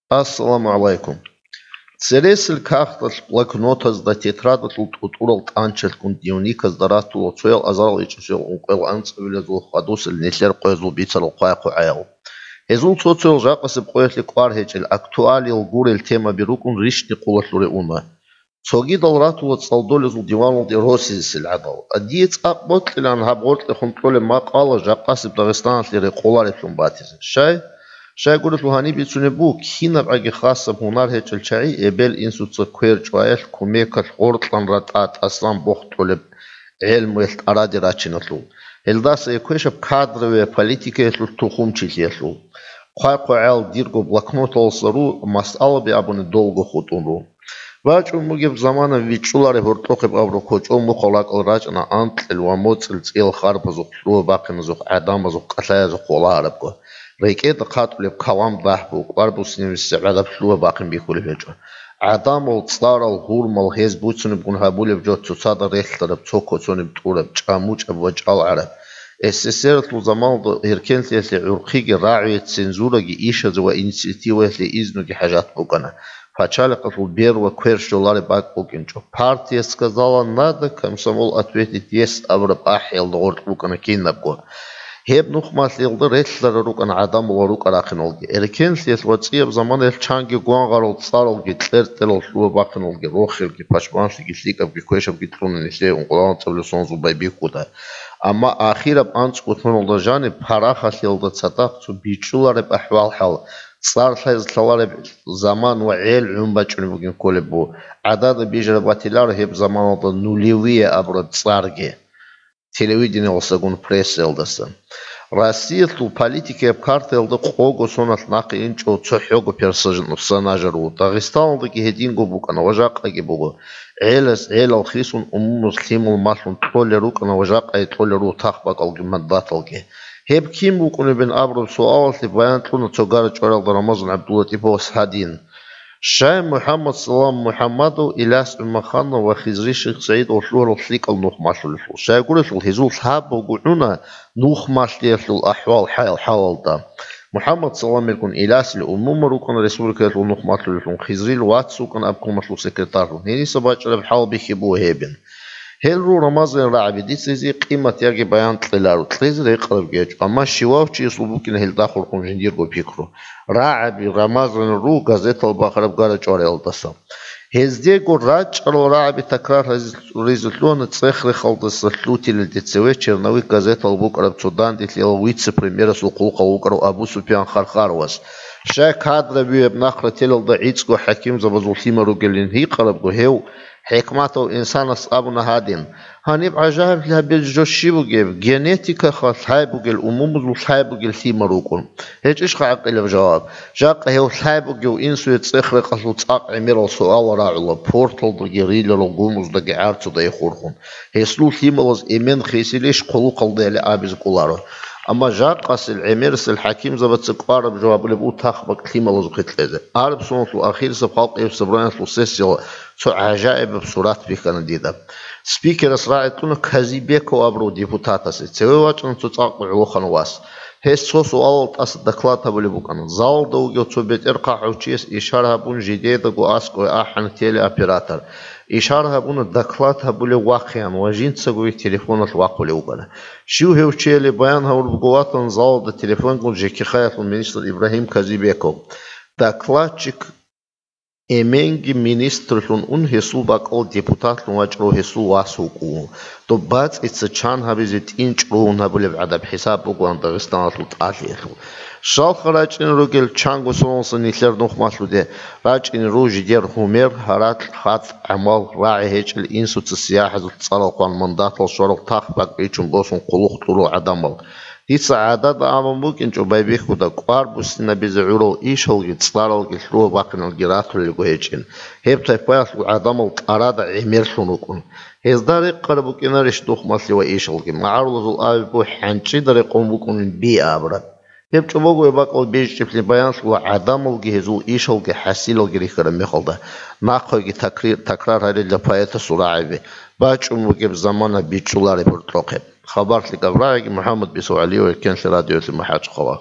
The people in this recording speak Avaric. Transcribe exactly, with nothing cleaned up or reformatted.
Ассаламу гӀалайкум. Цересел кагъталъ, блокнотазда, тетрадалъул тӀутӀурал тӀанчалъгун дневниказда ратула цоял азарал ичӀасел ункъоял анцӀабилазул хадусел нилъер къоязул бицарал хъвай-хъвагӀаял. Гьезул цо-цоял жакъасеб къоялъе кӀвар гьечӀел, актуалиял гурел темаби рукӀун рищни къулалъуре уна. Цогидал ратула цӀалдолезул диваналде росизесел гӀадал. Дие цӀакъ бокьилаан гьаб гъоркьехун кьолеб макъала жакъасеб Дагъистаналъе рекъолареблъун батизе. Щай? Щайгурелъул гьаниб бицунеб буго, кинабгӀаги хасаб гьунар гьечӀел чагӀи эбел-инсуца квер чӀваялъ, кумекалъ гъоркьан ратӀа-тӀасан бохтӀулеб гӀелмуялъ тӀараде рачиналъул. Гьелдаса квешаб кадровая политикаялъул тухумчилъиялъул. Хъвай-хъвагӀал дирго блокноталаса ру, масъалаби абуни долго хутӀун ру. БачӀун бугеб замана вичӀчӀулареб гьоркьохъеб абураб кочӀол мухъал ракӀал рачӀана анкьил ва моцӀил цӀиял харбазухъ, лъугьа-бахъиназухъ, гӀадамазухъ кӀалъаязухъ, хъвалаан гьарабго. РекӀеда хъатӀулеб калам дагьбу, кӀвар буссинабизе гӀадаб лъугьа-бахъин бихьулеб гьечӀо. ГӀадамал, цӀарал, гьурмал гьез буцунебгун гьабулеб жо цоцазда релълъараб, цо косониб тӀураб, чӀамучӀаб ва чӀалгӀараб. СССР-алъул заманалда гьеркенлъиялъе гӀурхъиги, рагӀуе цензураги ишазе ва инициативаялъе изнуги хӀажат букӀана. Пачалихъалъул бер ва квер щолареб бакӀ букӀинчӀо. Партия сказала «надо», комсомол ответит «есть» абураб ахӀиялда гъоркь букӀана кинабго. Гьеб нухмалъиялда релълъарал рукӀана гӀадамал ва рукӀа-рахъиналги. Эркенлъиялъ ва цӀияб заманаялъ чанги гвангъарал цӀаралги, кьертӀерал лъугьа-бахъиналги, рохелги, пашманлъиги, лъикӀабги, квешабги кьуна нилъее ункъоялда анцӀабилеб соналдаса байбихьуда. Амма ахираб анцӀго соналда жаниб парахалъиялда цадахъ цо бичӀчӀулареб ахӀвал-хӀал, цӀар лъазе лъалареб заман ва гӀел гӀун бачӀунеб бугин кколеб бу. ГӀадада бижараб батиларо гьеб заманалда нулевые абураб цӀарги телевидениялдасагун прессаялдаса. Россиялъул политикияб картаялда къого соналъ нахъе инчӀо цохӀого персонажа ру. Дагъистаналдаги гьединго букӀана ва жакъаги буго. ГӀелас гӀелал хисун, умумуз лъимал малъун кьолел рукӀана ва жакъа кьолел руго тахбакӀалги мандаталги. Гьеб кин вукӀунебин абураб суалалъе баян кьуна цо гара-чӀваралда Рамазан ГӀабдуллатӀиповас гьадин: Щай МухӀаммад Салам МухӀаммадов, Иляс ГӀумаханов ва Хизри Шихсаидов лъугьарал лъикӀал нухмалъулелъул? Щайгурелъул гьезул лъабго гӀуна нухмалъиялъул ахӀвал-хӀал-, хӀалалда. МухӀаммад Саламилгун Илясил умума рукӀана республикаялъул нухмалъулелъун, Хизрил вац вукӀана обкомалъул секретарьлъун. Гьениса бачӀараб хӀал бихьи буго гьебин. Гьел ру Рамазанил рагӀаби, дица гьезие къимат яги баян кьеларо, кьезе рекъарабги гьечӀо, амма щивав чиясул букӀина гьелда хурхун жиндирго пикру. РагӀаби Рамазанил ру газетал бахараб гара-чӀвариялдаса. Гьездего рачӀарал рагӀаби такрар гьаризе лъугьана цӀех-рехалдаса лъутилел ДЦВ «Черновик» газетал букӀараб цо данделъиял вице-премьерасул хъулухъав вукӀарав Абу-Суфиян Хархаровас. Щай кадровияб нахърателалда гӀицӀго хӀакимзабазул лъимал ругелин гьикъарабго, гьев ХӀикматав инсанас абуна гьадин: «Гьаниб гӀажаиблъи гьабизе жо щиб бугеб? Генетикаха лъай бугел, умумузул лъай бугел лъимал рукӀун». ГьечӀищха гӀакъилаб жаваб? Жакъа гьев лъай бугев инсуе цӀех-рекъалъул цӀакъ гӀемерал суал рагӀула, порталдаги риларал гумуздаги гӀарцудаги хурхун. Гьесул лъималаз эмен хисилищ хъулухъалдали абизе кӀоларо. Амма жакъасел гӀемерисел хӀакимзабаца кӀвараб жо гьабулеб у тахбакӀ лъималазухъе кьезе. Араб соналъул ахирисеб халкъияб собраниялъул сессияла цо гӀажаибаб сурат бихьана дида. Спикерас рагӀи кьуна Казибеков абурав депутатасе. Цеве вачӀана цо цӀакъ гӀолохъанав вас. Гьес цо суалал тӀаса доклад гьабулеб букӀана. Залалда вугев цо бетӀер хъахӀав чияс ишар гьабун, жидедаго аскӀове ахӀана телеоператор. Ишар гьабуна, доклад гьабулев вахъеян ва жинцаго телефоналъ вахъулев вукӀана. Щив гьев чияли баян гьавурабго ватана залалда телефонгун ЖКХ-ялъул министр Ибрагьим Казибеков. Докладчик эменги министрлъун ун, гьесул бакӀал депутатлъун вачӀарав гьесул вас вукӀун. Доб бацӀица чан гьабизе тӀинчӀ ругьун гьабулеб гӀадаб хӀисаб бугоан Дагъистаналъул тӀалъиялъул. Щалха рачӀине ругел чанго соналса нилъер нухмалъуде, рачӀине руго жидер гьумер, гьаракь, хатӀ, гӀамал, рагӀи гьечӀел инсуца сияхӀазул цӀарал хъван, мандатал щварал тахбакӀ бичун босун хъулухъ кьурал гӀадамал. Дица гӀадада абун букӀинчӀо байбихьуда, кӀвар буссинабизе гӀурал ишалги цӀаралги лъугьа-бахъиналги ратулелго гьечӀин. Гьеб тайпаялъул гӀадамал тӀарада гӀемерлъун рукӀун. Гьезда рекъараб букӀинарищ нухмалъи ва ишалги? МагӀарулазул абизе хӀанчӀида рекъон букӀунин биабра. Гьеб чӀобого гьеб бакӀал бечӀчӀеблъи баянлъула гӀадамалги гьезул ишалги хӀасилалги рихьараб мехалда, нахъеги такри-, такрар гьарила поэтасул рагӀаби, бачӀун бугеб замана бичӀчӀулареб гьоркьохъеб. Хабарлъи Гаврагьиги МухӀаммад Бисов ГӀалиев, Эркенлъи радиоялъе МахӀачхъала.